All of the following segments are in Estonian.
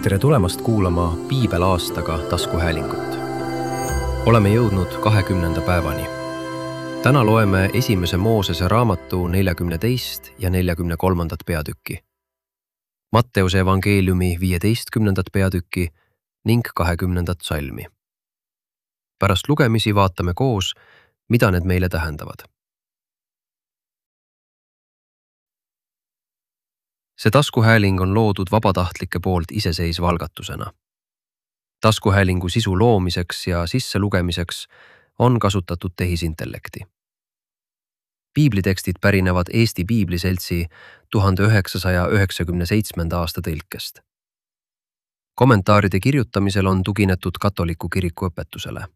Tere tulemast kuulama Piibelaastaga taskuhäälingut. Oleme jõudnud 20. päevani. Täna loeme 1. Moosese raamatu 42. ja 43. peatükki, Matteuse evangeeliumi 15. peatükki ning 20. salmi. Pärast lugemisi vaatame koos, mida need meile tähendavad. See taskuhääling on loodud vabatahtlike poolt iseseisva algatusena. Taskuhäälingu sisu loomiseks ja sisselugemiseks on kasutatud tehisintellekti. Piiblitekstid pärinevad Eesti Piibliseltsi 1997. aasta tõlkest. Kommentaaride kirjutamisel on tuginetud katoliku kiriku õpetusele.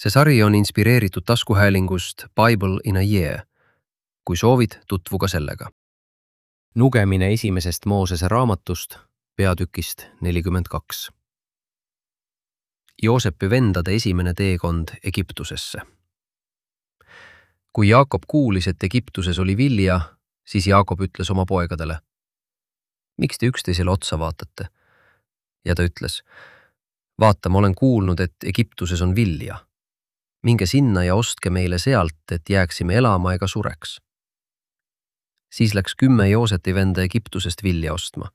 See sari on inspireeritud taskuhäälingust Bible in a Year. Kui soovid, tutvu ka sellega. Lugemine 1. Moosese raamatust, peatükist 42. Joosepi vendade esimene teekond Egiptusesse. Kui Jaakob kuulis, et Egiptuses oli vilja, siis Jaakob ütles oma poegadele: "Miks te üksteisele otsa vaatate?" Ja ta ütles: "Vaata, ma olen kuulnud, et Egiptuses on vilja. Minge sinna ja ostke meile sealt, et jääksime elama ega sureks." Siis läks 10 Joosepi venda Egiptusest vilja ostma.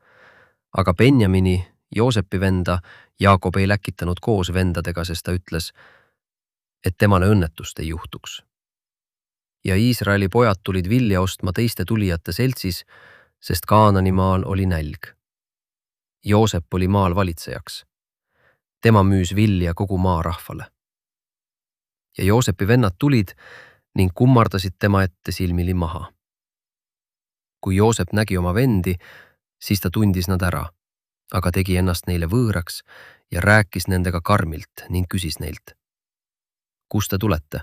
Aga Benjamini, Joosepi venda, Jaakob ei läkitanud koos vendadega, sest ta ütles, et temale õnnetust ei juhtuks. Ja Iisraeli pojad tulid vilja ostma teiste tulijate seltsis, sest Kaanani maal oli nälg. Joosep oli maal valitsejaks. Tema müüs vilja kogu maa rahvale. Ja Joosepi vennad tulid ning kummardasid tema ette silmili maha. Kui Joosep nägi oma vendi, siis ta tundis nad ära, aga tegi ennast neile võõraks ja rääkis nendega karmilt ning küsis neilt: "Kust te tulete?"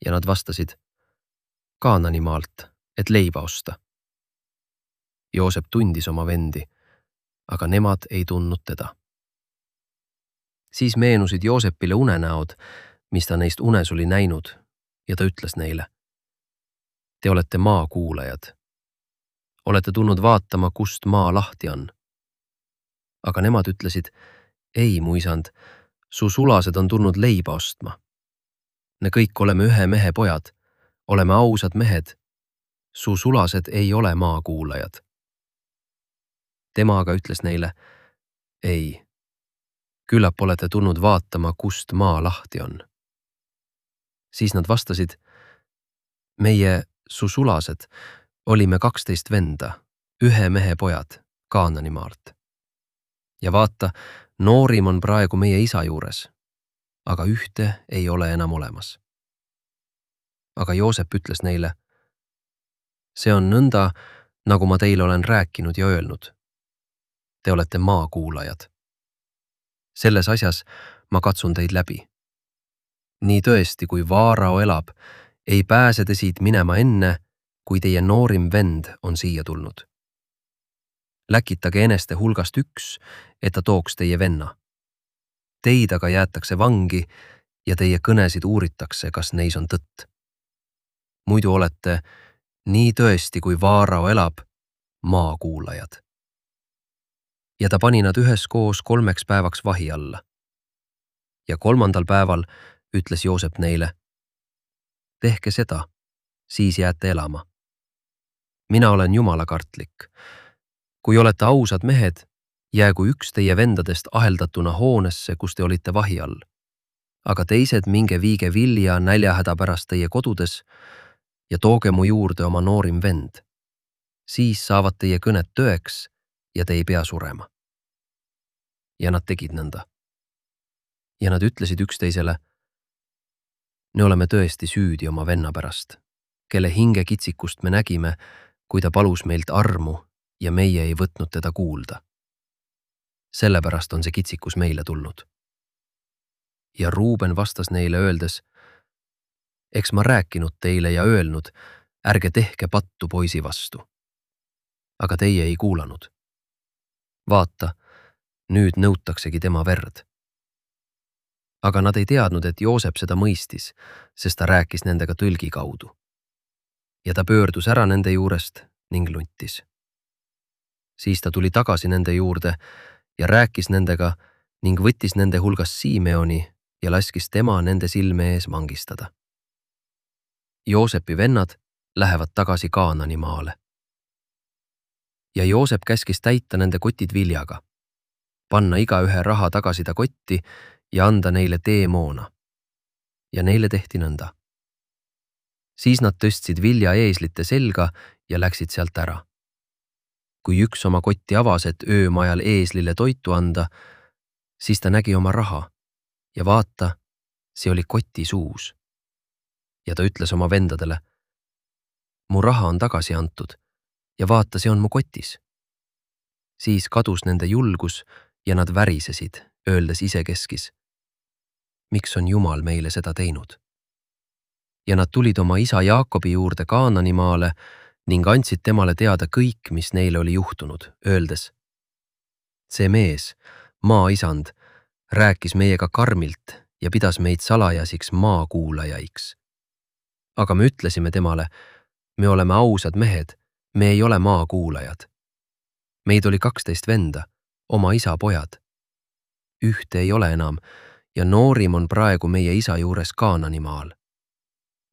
Ja nad vastasid: "Kaanani maalt, et leiba osta." Joosep tundis oma vendi, aga nemad ei tundnud teda. Siis meenusid Joosepile unenäod, mis ta neist unes oli näinud, ja ta ütles neile: "Te olete maakuulajad. Olete tulnud vaatama, kust maa lahti on." Aga nemad ütlesid: "Ei, mu isand, su sulased on tulnud leiba ostma. Me kõik oleme ühe mehe pojad, oleme ausad mehed. Su sulased ei ole maakuulajad." Tema aga ütles neile: "Ei, küllap olete tulnud vaatama, kust maa lahti on." Siis nad vastasid: "Meie, su sulased, olime 12 venda, ühe mehe pojad Kaanani maalt. Ja vaata, noorim on praegu meie isa juures, aga ühte ei ole enam olemas." Aga Joosep ütles neile: "See on nõnda, nagu ma teile olen rääkinud ja öelnud. Te olete maakuulajad. Selles asjas ma katsun teid läbi. Nii tõesti, kui Vaarao elab, ei pääse te siit minema enne, kui teie noorim vend on siia tulnud. Läkitage eneste hulgast üks, et ta tooks teie venna. Teid aga jäetakse vangi ja teie kõnesid uuritakse, kas neis on tõtt. Muidu olete, nii tõesti, kui Vaarao elab, maakuulajad." Ja ta pani nad üheskoos 3 päevaks vahi alla. Ja 3. päeval ütles Joosep neile: "Tehke seda, siis jääte elama. Mina olen jumalakartlik. Kui olete ausad mehed, jäägu üks teie vendadest aheldatuna hoonesse, kus te olite vahi all. Aga teised minge viige vilja näljahäda pärast teie kodudes ja tooge mu juurde oma noorim vend. Siis saavad teie kõned tõeks ja te ei pea surema." Ja nad tegid nõnda. Ja nad ütlesid üksteisele: "Me oleme tõesti süüdi oma venna pärast, kelle hinge kitsikust me nägime, kui ta palus meilt armu ja meie ei võtnud teda kuulda. Sellepärast on see kitsikus meile tulnud." Ja Ruuben vastas neile öeldes: "Eks ma rääkinud teile ja öelnud, ärge tehke pattu poisi vastu. Aga teie ei kuulanud. Vaata, nüüd nõutaksegi tema verd." Aga nad ei teadnud, et Joosep seda mõistis, sest ta rääkis nendega tõlgi kaudu. Ja ta pöördus ära nende juurest ning luntis. Siis ta tuli tagasi nende juurde ja rääkis nendega ning võttis nende hulgast Simeoni ja laskis tema nende silme ees vangistada. Joosepi vennad lähevad tagasi Kaanani maale. Ja Joosep käskis täita nende kotid viljaga, panna igaühe raha tagasi ta kotti ja anda neile teemoona. Ja neile tehti nõnda. Siis nad tõstsid vilja eeslite selga ja läksid sealt ära. Kui üks oma kotti avas, et öömajal eeslile toitu anda, siis ta nägi oma raha ja vaata, see oli koti suus. Ja ta ütles oma vendadele, mu raha on tagasi antud ja vaata, see on mu kotis. Siis kadus nende julgus ja nad värisesid, öeldes isekeskis, miks on Jumal meile seda teinud? Ja nad tulid oma isa Jaakobi juurde Kaanani maale ning andsid temale teada kõik, mis neile oli juhtunud, öeldes, see mees, maaisand, rääkis meiega karmilt ja pidas meid salajasiks maakuulajaiks. Aga me ütlesime temale, me oleme ausad mehed, me ei ole maakuulajad. Meid oli 12 venda, oma isa pojad. Ühte ei ole enam ja noorim on praegu meie isa juures Kaanani maal.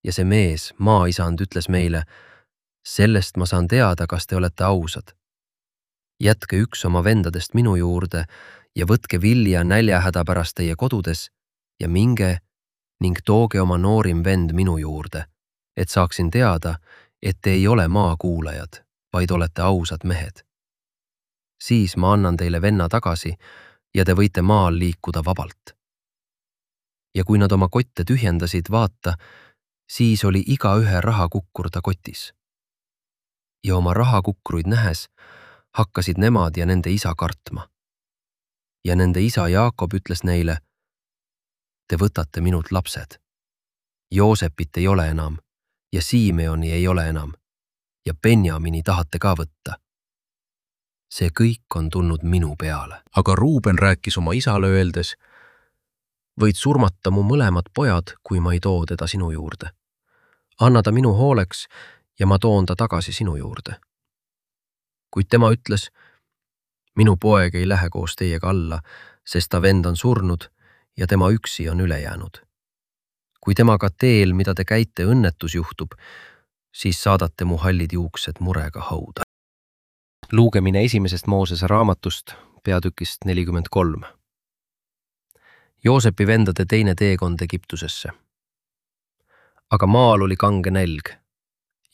Ja see mees, maaisand, ütles meile, sellest ma saan teada, kas te olete ausad. Jätke üks oma vendadest minu juurde ja võtke vilja näljahäda pärast teie kodudes ja minge ning tooge oma noorim vend minu juurde, et saaksin teada, et te ei ole maakuulajad, vaid olete ausad mehed. Siis ma annan teile venna tagasi ja te võite maal liikuda vabalt. Ja kui nad oma kotte tühjendasid, vaata, siis oli igaühe rahakukkur ta kotis. Ja oma rahakukruid nähes hakkasid nemad ja nende isa kartma. Ja nende isa Jaakob ütles neile, te võtate minult lapsed. Joosepit ei ole enam ja Simeoni ei ole enam ja Benjamini tahate ka võtta. See kõik on tulnud minu peale. Aga Ruuben rääkis oma isale öeldes, võid surmata mu mõlemad pojad, kui ma ei too teda sinu juurde. Anna ta minu hooleks ja ma toon ta tagasi sinu juurde. Kuid tema ütles, minu poeg ei lähe koos teiega alla, sest ta vend on surnud ja tema üksi on üle jäänud. Kui temaga teel, mida te käite, õnnetus juhtub, siis saadate mu hallid juuksed murega hauda. Luugemine esimesest Moosese raamatust, peatükist 43. Joosepi vendade teine teekond Egiptusesse. Aga maal oli kange nälg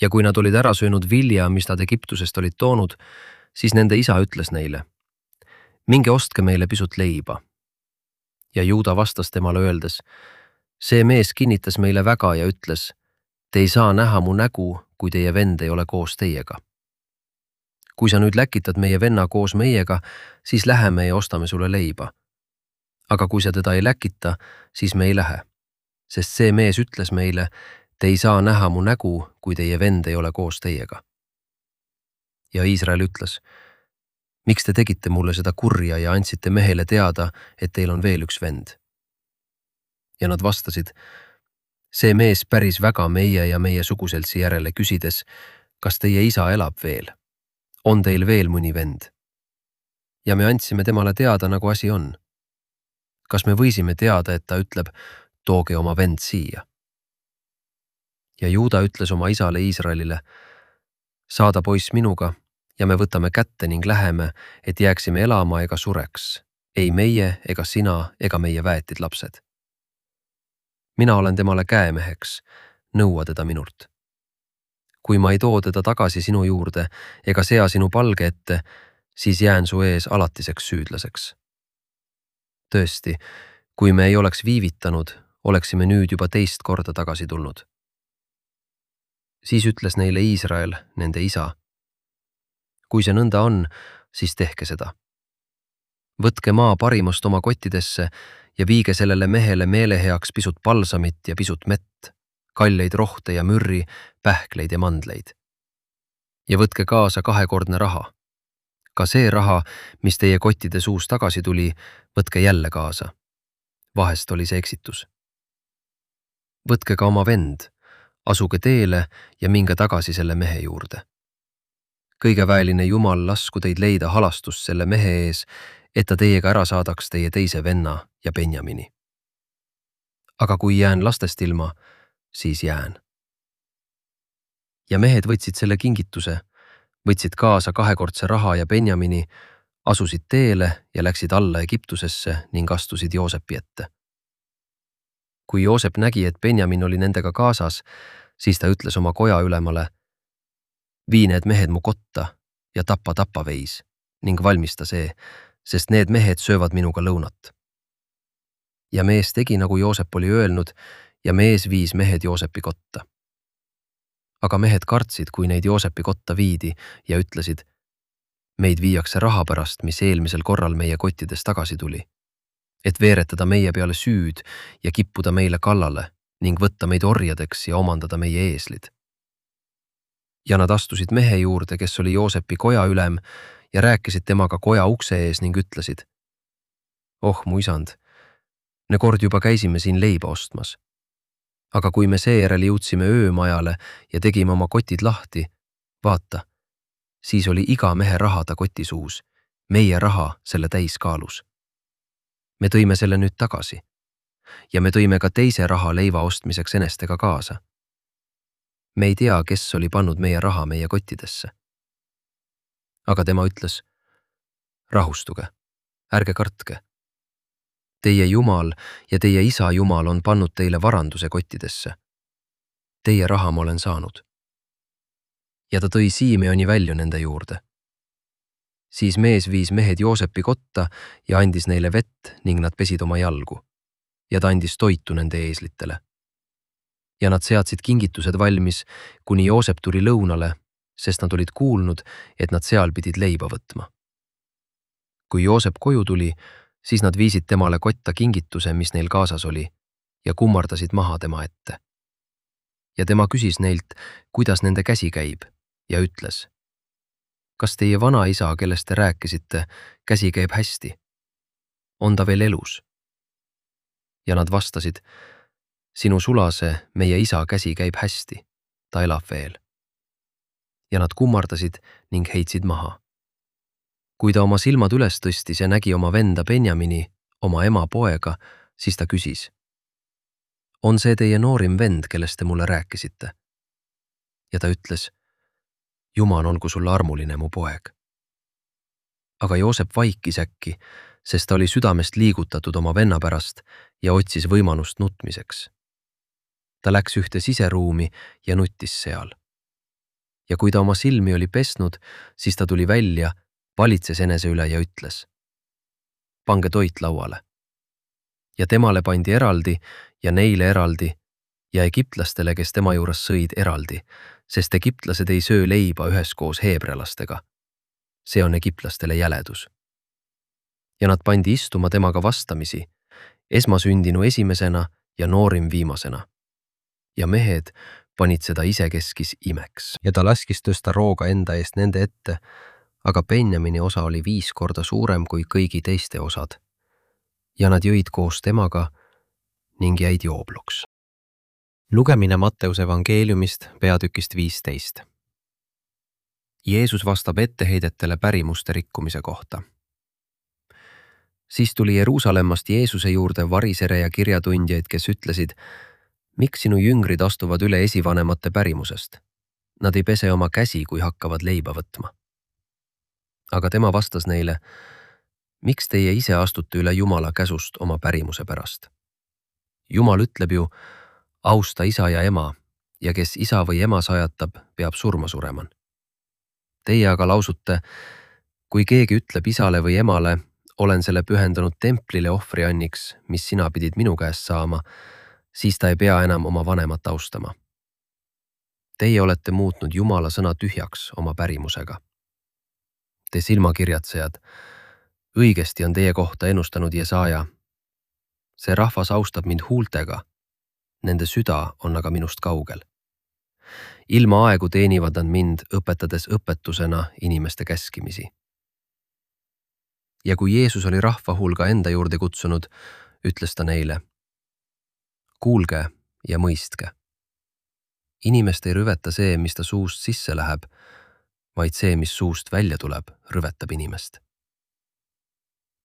ja kui nad olid ära söönud vilja, mis nad Egiptusest olid toonud, siis nende isa ütles neile, minge ostke meile pisut leiba. Ja Juuda vastas temale öeldes, see mees kinnitas meile väga ja ütles, te ei saa näha mu nägu, kui teie vend ei ole koos teiega. Kui sa nüüd läkitad meie venna koos meiega, siis läheme ja ostame sulle leiba. Aga kui sa teda ei läkita, siis me ei lähe. Sest see mees ütles meile, te ei saa näha mu nägu, kui teie vend ei ole koos teiega. Ja Iisrael ütles, miks te tegite mulle seda kurja ja andsite mehele teada, et teil on veel üks vend? Ja nad vastasid, see mees päris väga meie ja meie suguseltsi järele küsides, kas teie isa elab veel? On teil veel mõni vend? Ja me andsime temale teada, nagu asi on. Kas me võisime teada, et ta ütleb, tooge oma vend siia? Ja Juuda ütles oma isale Iisraelile, saada poiss minuga ja me võtame kätte ning läheme, et jääksime elama ega sureks, ei meie ega sina ega meie väetid lapsed. Mina olen temale käemeheks, nõua teda minult. Kui ma ei too teda tagasi sinu juurde ega sea sinu palge ette, siis jään su ees alatiseks süüdlaseks. Tõesti, kui me ei oleks viivitanud, oleksime nüüd juba teist korda tagasi tulnud. Siis ütles neile Iisrael, nende isa, kui see nõnda on, siis tehke seda. Võtke maa parimast oma kottidesse ja viige sellele mehele meeleheaks pisut palsamit ja pisut mett, kalleid rohte ja mürri, pähkleid ja mandleid. Ja võtke kaasa 2-kordne raha. Ka see raha, mis teie kottide suus tagasi tuli, võtke jälle kaasa. Vahest oli see eksitus. Võtke ka oma vend, asuge teele ja minge tagasi selle mehe juurde. kõigeväeline Jumal lasku teid leida halastust selle mehe ees, et ta teiega ära saadaks teie teise venna ja Benjamini. Aga kui jään lastest ilma, siis jään. Ja mehed võtsid selle kingituse, võtsid kaasa kahekordse raha ja Benjamini, asusid teele ja läksid alla Egiptusesse ning astusid Joosepi ette. Kui Joosep nägi, et Benjamin oli nendega kaasas, siis ta ütles oma koja ülemale: vii need mehed mu kotta ja tapa veis ning valmista see, sest need mehed söövad minuga lõunat. Ja mees tegi, nagu Joosep oli öelnud, ja mees viis mehed Joosepi kotta. Aga mehed kartsid, kui neid Joosepi kotta viidi ja ütlesid: meid viiakse raha pärast, mis eelmisel korral meie kottides tagasi tuli, et veeretada meie peale süüd ja kippuda meile kallale ning võtta meid orjadeks ja omandada meie eeslid. Ja nad astusid mehe juurde, kes oli Joosepi koja ülem, ja rääkisid temaga koja ukse ees ning ütlesid: oh mu isand, me kord juba käisime siin leiba ostmas. Aga kui me seejärel jõudsime öömajale ja tegime oma kotid lahti, vaata, siis oli iga mehe raha ta koti suus, meie raha selle täiskaalus. Me tõime selle nüüd tagasi ja me tõime ka teise raha leiva ostmiseks enestega kaasa. Me ei tea, kes oli pannud meie raha meie kottidesse. Aga tema ütles: rahustuge, ärge kartke. Teie Jumal ja teie isa Jumal on pannud teile varanduse kottidesse. Teie raha ma olen saanud. Ja ta tõi Simeoni välja nende juurde. Siis mees viis mehed Joosepi kotta ja andis neile vett ning nad pesid oma jalgu. Ja ta andis toitu nende eeslitele. Ja nad seadsid kingitused valmis, kuni Joosep tuli lõunale, sest nad olid kuulnud, et nad seal pidid leiba võtma. Kui Joosep koju tuli, siis nad viisid temale kotta kingituse, mis neil kaasas oli, ja kummardasid maha tema ette. Ja tema küsis neilt, kuidas nende käsi käib, ja ütles: kas teie vanaisa, kellest te rääkisite, käsi käib hästi? On ta veel elus? Ja nad vastasid: sinu sulase, meie isa käsi käib hästi, ta elab veel. Ja nad kummardasid ning heitsid maha. Kui ta oma silmad üles tõstis ja nägi oma venda Benjamini, oma ema poega, siis ta küsis: on see teie noorim vend, kellest te mulle rääkisite? Ja ta ütles: Jumal olgu sulle armuline, mu poeg. Aga Joosep vaikis äkki, sest ta oli südamest liigutatud oma venna pärast ja otsis võimalust nutmiseks. Ta läks ühte siseruumi ja nuttis seal. Ja kui ta oma silmi oli pesnud, siis ta tuli välja, valitses enese üle ja ütles: pange toit lauale. Ja temale pandi eraldi ja neile eraldi ja egiptlastele, kes tema juures sõid, eraldi, sest egiptlased ei söö leiba üheskoos heebrealastega. See on egiptlastele jäledus. Ja nad pandi istuma temaga vastamisi, esmasündinu esimesena ja noorim viimasena. Ja mehed panid seda isekeskis imeks. Ja ta laskis tõsta rooga enda eest nende ette, aga Benjamini osa oli 5 korda suurem kui kõigi teiste osad. Ja nad jõid koos temaga ning jäid joobluks. Lugemine Matteuse evangeeliumist peatükist 15. Jeesus vastab etteheidetele pärimuste rikkumise kohta. Siis tuli Jeruusalemmast Jeesuse juurde varisere ja kirjatundjaid, kes ütlesid: miks sinu jüngrid astuvad üle esivanemate pärimusest? Nad ei pese oma käsi, kui hakkavad leiba võtma. Aga tema vastas neile: miks teie ise astute üle Jumala käsust oma pärimuse pärast? Jumal ütleb ju: austa isa ja ema, ja kes isa või ema sajatab, peab surma surema. Teie aga lausute: kui keegi ütleb isale või emale, olen selle pühendanud templile ohvrianniks, mis sina pidid minu käest saama, siis ta ei pea enam oma vanemat austama. Teie olete muutnud Jumala sõna tühjaks oma pärimusega. Te silmakirjatsejad, õigesti on teie kohta ennustanud Jesaja. See rahvas austab mind huultega, nende süda on aga minust kaugel. Ilma aegu teenivad nad mind, õpetades õpetusena inimeste käskimisi. Ja kui Jeesus oli rahva hulga enda juurde kutsunud, ütles ta neile: kuulge ja mõistke. Inimest ei rüveta see, mis ta suust sisse läheb, vaid see, mis suust välja tuleb, rüvetab inimest.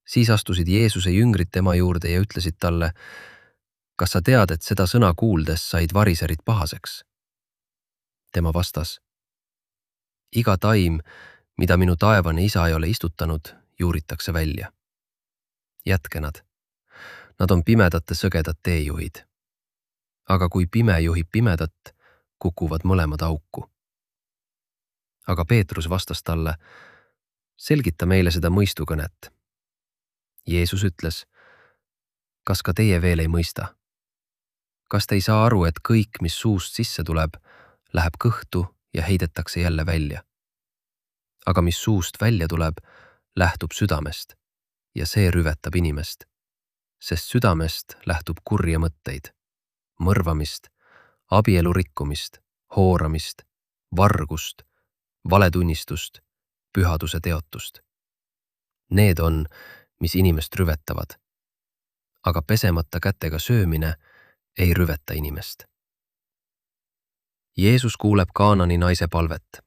Siis astusid Jeesuse jüngrid tema juurde ja ütlesid talle, kas sa tead, et seda sõna kuuldes said variserid pahaseks? Tema vastas, iga taim, mida minu taevane isa ei ole istutanud, juuritakse välja. Jätke nad. Nad on pimedate sõgedad teejuhid. Aga kui pime juhib pimedat, kukuvad mõlemad auku. Aga Peetrus vastas talle, selgita meile seda mõistukõnet. Jeesus ütles, kas ka teie veel ei mõista? Kas te ei saa aru, et kõik, mis suust sisse tuleb, läheb kõhtu ja heidetakse jälle välja? Aga mis suust välja tuleb, lähtub südamest ja see rüvetab inimest, sest südamest lähtub kurja mõtteid, mõrvamist, abielu rikkumist, hooramist, vargust, valetunnistust, pühaduse teotust. Need on, mis inimest rüvetavad, aga pesemata kätega söömine ei rüveta inimest. Jeesus kuuleb Kaanani naise palvet.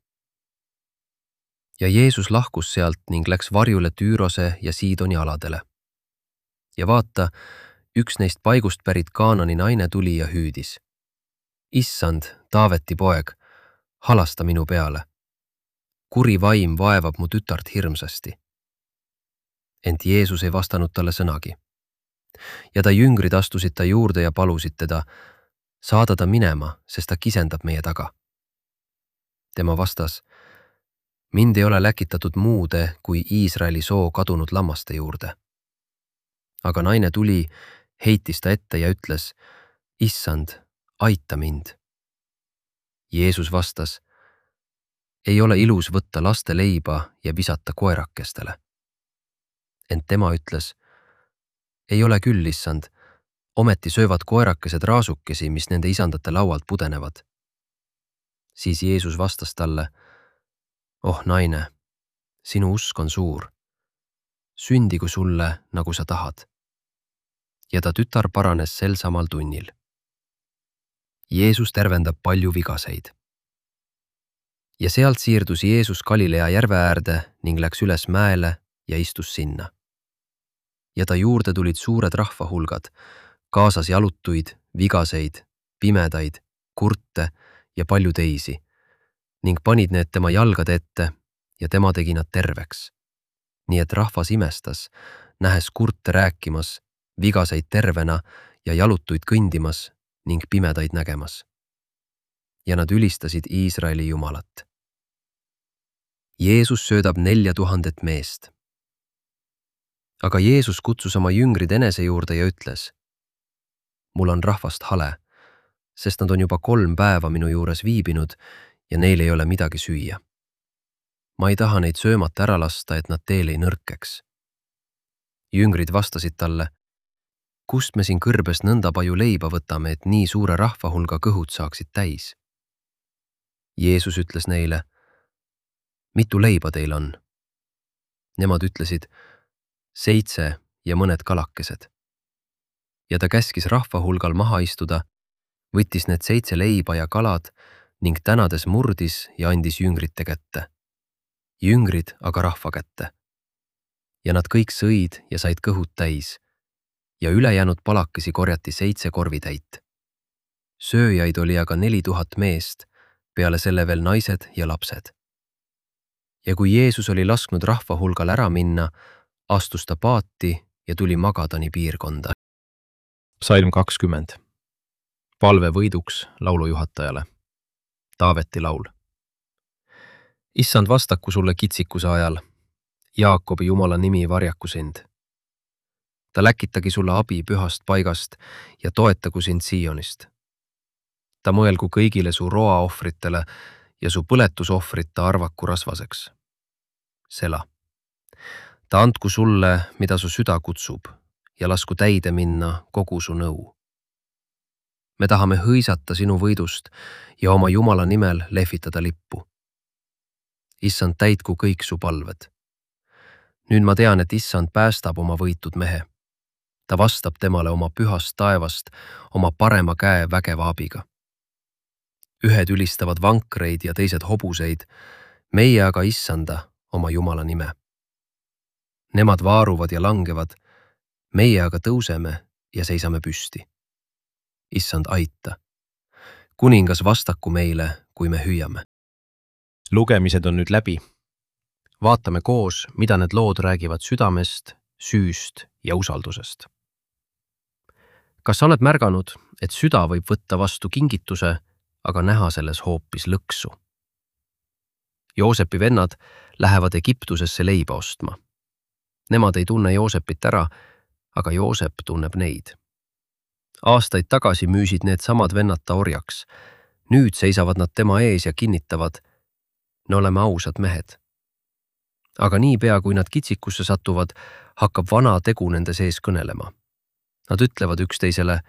Ja Jeesus lahkus sealt ning läks varjule Tüürose ja Siidoni aladele. Ja vaata, üks neist paigust pärit Kaanani naine tuli ja hüüdis. Issand, Taaveti poeg, halasta minu peale. Kuri vaim vaevab mu tütart hirmsasti. Ent Jeesus ei vastanud talle sõnagi. Ja ta jüngrid astusid ta juurde ja palusid teda, saada ta minema, sest ta kisendab meie taga. Tema vastas, mind ei ole läkitatud muude kui Iisraeli soo kadunud lammaste juurde. Aga naine tuli, heitis ta ette ja ütles, Issand, aita mind. Jeesus vastas, ei ole ilus võtta laste leiba ja visata koerakestele. Ent tema ütles, ei ole küll, issand, ometi söövad koerakesed raasukesi, mis nende isandate laualt pudenevad. Siis Jeesus vastas talle, oh naine, sinu usk on suur. Sündigu sulle, nagu sa tahad. Ja ta tütar paranes sel samal tunnil. Jeesus tervendab palju vigaseid. Ja sealt siirdus Jeesus Galilea järve äärde ning läks üles mäele ja istus sinna. Ja ta juurde tulid suured rahvahulgad, kaasas jalutuid, vigaseid, pimedaid, kurte ja palju teisi, ning panid need tema jalgade ette ja tema tegi nad terveks. Nii et rahvas imestas, nähes kurte rääkimas, vigaseid tervena ja jalutuid kõndimas ning pimedaid nägemas. Ja nad ülistasid Iisraeli Jumalat. Jeesus söödab 4000 meest. Aga Jeesus kutsus oma jüngrid enese juurde ja ütles, mul on rahvast hale, sest nad on juba 3 päeva minu juures viibinud ja neil ei ole midagi süüa. Ma ei taha neid söömata ära lasta, et nad teel ei nõrkeks. Jüngrid vastasid talle, kust me siin kõrbes nõnda palju leiba võtame, et nii suure rahvahulga kõhud saaksid täis? Jeesus ütles neile, mitu leiba teil on? Nemad ütlesid, 7 ja mõned kalakesed. Ja ta käskis rahvahulgal maha istuda, võttis need 7 leiba ja kalad ning tänades murdis ja andis jüngrite kätte. Jüngrid aga rahva kätte. Ja nad kõik sõid ja said kõhud täis. Ja ülejäänud palakesi korjati 7 korvitäit. Sööjaid oli aga 4000 meest, peale selle veel naised ja lapsed. Ja kui Jeesus oli lasknud rahvahulgal ära minna, astus ta paati ja tuli Magadani piirkonda. Psalm 20. Palve võiduks laulujuhatajale. Taaveti laul. Issand, vastaku sulle kitsikuse ajal. Jaakobi Jumala nimi varjaku sind. Ta läkitagi sulle abi pühast paigast ja toetagu sind Siionist. Ta mõelgu kõigile su roaohvritele ja su põletusohvrita arvaku rasvaseks. Sela. Ta andku sulle, mida su süda kutsub, ja lasku täide minna kogu su nõu. Me tahame hõisata sinu võidust ja oma Jumala nimel lehvitada lippu. Issand, täitku kõik su palved. Nüüd ma tean, et Issand päästab oma võitud mehe. Ta vastab temale oma pühast taevast oma parema käe vägeva abiga. Ühed ülistavad vankreid ja teised hobuseid, meie aga issanda oma Jumala nime. Nemad vaaruvad ja langevad, meie aga tõuseme ja seisame püsti. Issand, aita. Kuningas vastaku meile, kui me hüüame. Lugemised on nüüd läbi. Vaatame koos, mida need lood räägivad südamest, süüst ja usaldusest. Kas sa oled märganud, et süda võib võtta vastu kingituse, aga näha selles hoopis lõksu? Joosepi vennad lähevad Egiptusesse leiba ostma. Nemad ei tunne Joosepit ära, aga Joosep tunneb neid. Aastaid tagasi müüsid need samad vennad ta orjaks. Nüüd seisavad nad tema ees ja kinnitavad, me oleme ausad mehed. Aga niipea, kui nad kitsikusse satuvad, hakkab vana tegu nende sees kõnelema. Nad ütlevad üksteisele,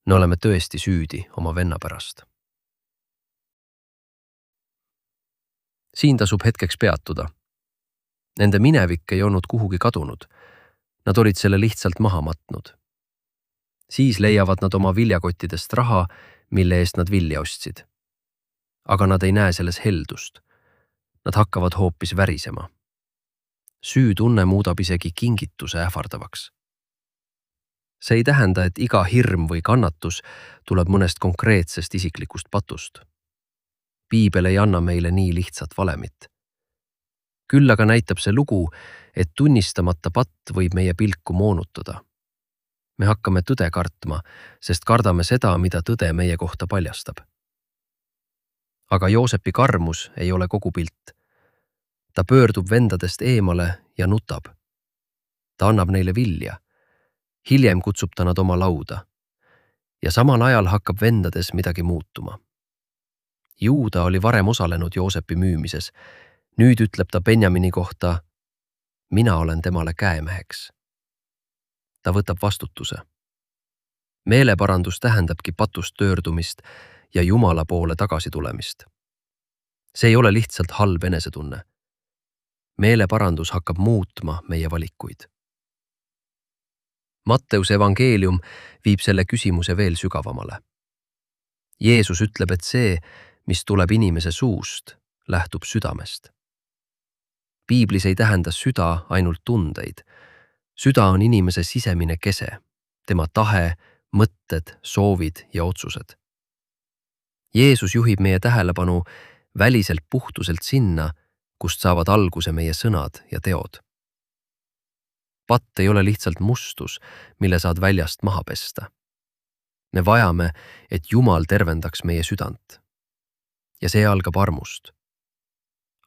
me oleme tõesti süüdi oma venna pärast. Siin tasub hetkeks peatuda. Nende minevik ei olnud kuhugi kadunud. Nad olid selle lihtsalt maha matnud. Siis leiavad nad oma viljakottidest raha, mille eest nad vilja ostsid. Aga nad ei näe selles heldust. Nad hakkavad hoopis värisema. Süütunne muudab isegi kingituse ähvardavaks. See ei tähenda, et iga hirm või kannatus tuleb mõnest konkreetsest isiklikust patust. Piibel ei anna meile nii lihtsat valemit. Küll aga näitab see lugu, et tunnistamata patt võib meie pilku moonutada. Me hakkame tõde kartma, sest kardame seda, mida tõde meie kohta paljastab. Aga Joosepi karmus ei ole kogu pilt. Ta pöördub vendadest eemale ja nutab. Ta annab neile vilja. Hiljem kutsub ta nad oma lauda. Ja samal ajal hakkab vendades midagi muutuma. Juuda oli varem osalenud Joosepi müümises. Nüüd ütleb ta Benjamini kohta, mina olen temale käemeheks. Ta võtab vastutuse. Meeleparandus tähendabki patust töördumist ja Jumala poole tagasi tulemist. See ei ole lihtsalt halb enesetunne. Meeleparandus hakkab muutma meie valikuid. Matteuse evangeelium viib selle küsimuse veel sügavamale. Jeesus ütleb, et see, mis tuleb inimese suust, lähtub südamest. Piiblis ei tähenda süda ainult tundeid. Süda on inimese sisemine kese, tema tahe, mõtted, soovid ja otsused. Jeesus juhib meie tähelepanu väliselt puhtuselt sinna, kust saavad alguse meie sõnad ja teod. Patt ei ole lihtsalt mustus, mille saad väljast maha pesta. Me vajame, et Jumal tervendaks meie südant. Ja see algab armust.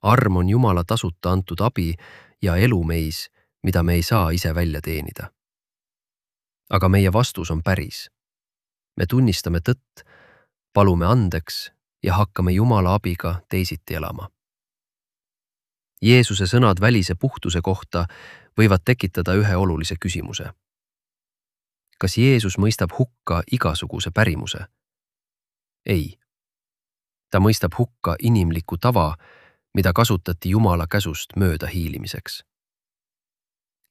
Arm on Jumala tasuta antud abi ja elu meis, mida me ei saa ise välja teenida. Aga meie vastus on päris. Me tunnistame tõtt, palume andeks ja hakkame Jumala abiga teisiti elama. Jeesuse sõnad välise puhtuse kohta võivad tekitada ühe olulise küsimuse. Kas Jeesus mõistab hukka igasuguse pärimuse? Ei. Ta mõistab hukka inimliku tava, mida kasutati Jumala käsust mööda hiilimiseks.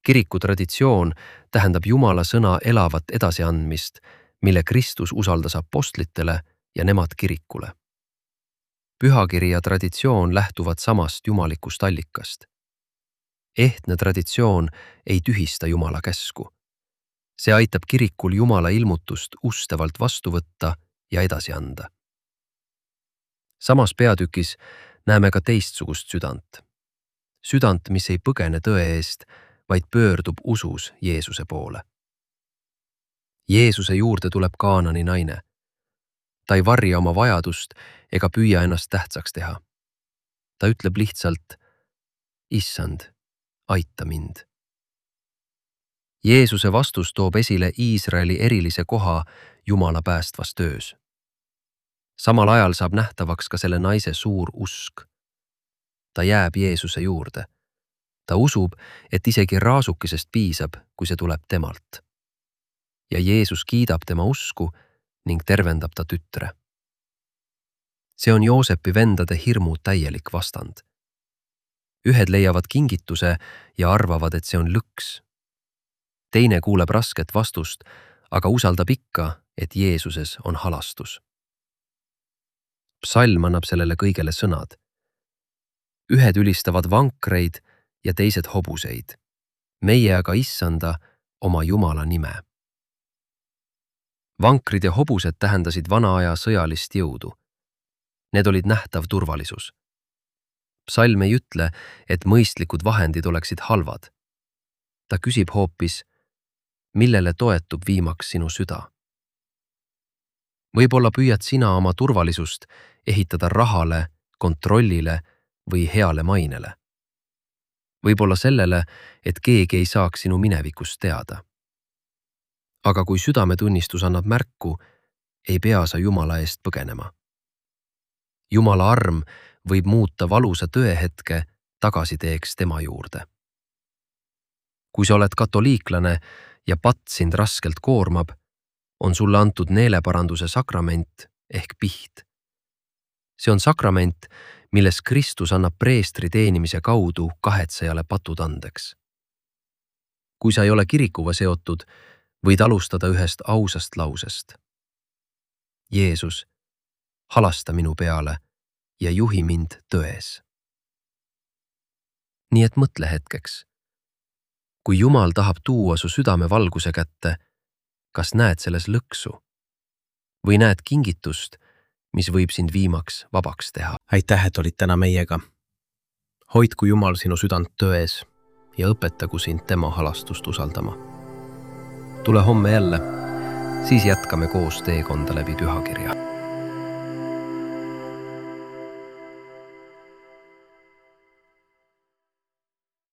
Kiriku traditsioon tähendab Jumala sõna elavat edasiandmist, mille Kristus usaldas apostlitele ja nemad kirikule. Pühakiri ja traditsioon lähtuvad samast jumalikust allikast. Ehtne traditsioon ei tühista Jumala käsku. See aitab kirikul Jumala ilmutust ustavalt vastu võtta ja edasi anda. Samas peatükis näeme ka teistsugust südant. Südant, mis ei põgene tõe eest, vaid pöördub usus Jeesuse poole. Jeesuse juurde tuleb Kaanani naine. Ta ei varja oma vajadust ega püüa ennast tähtsaks teha. Ta ütleb lihtsalt, Issand, aita mind. Jeesuse vastus toob esile Iisraeli erilise koha Jumala päästvas töös. Samal ajal saab nähtavaks ka selle naise suur usk. Ta jääb Jeesuse juurde. Ta usub, et isegi raasukesest piisab, kui see tuleb temalt. Ja Jeesus kiidab tema usku ning tervendab ta tütre. See on Joosepi vendade hirmu täielik vastand. Ühed leiavad kingituse ja arvavad, et see on lõks. Teine kuuleb rasket vastust, aga usaldab ikka, et Jeesuses on halastus. Psalm annab sellele kõigele sõnad. ühed ülistavad vankreid ja teised hobuseid. Meie aga issanda oma Jumala nime. Vankrid ja hobused tähendasid vana aja sõjalist jõudu. Need olid nähtav turvalisus. Psalm ei ütle, et mõistlikud vahendid oleksid halvad. Ta küsib hoopis, millele toetub viimaks sinu süda. Võib-olla püüad sina oma turvalisust ehitada rahale, kontrollile või heale mainele. Võib-olla sellele, et keegi ei saaks sinu minevikust teada. Aga kui südametunnistus annab märku, ei pea sa Jumala eest põgenema. Jumala arm võib muuta valusa tõehetke tagasiteeks tema juurde. Kui sa oled katoliiklane ja patt sind raskelt koormab, on sulle antud neeleparanduse sakrament ehk piht. See on sakrament, milles Kristus annab preestri teenimise kaudu kahetsejale patud andeks. Kui sa ei ole kirikuga seotud, võid alustada ühest ausast lausest. Jeesus, halasta minu peale ja juhi mind tões. Nii et mõtle hetkeks. Kui Jumal tahab tuua su südame valguse kätte, kas näed selles lõksu? Või näed kingitust, mis võib sind viimaks vabaks teha? Aitäh, et olid täna meiega. Hoidku Jumal sinu südant tões ja õpetagu sind tema halastust usaldama. Tule homme jälle, siis jätkame koos teekonda läbi pühakirja.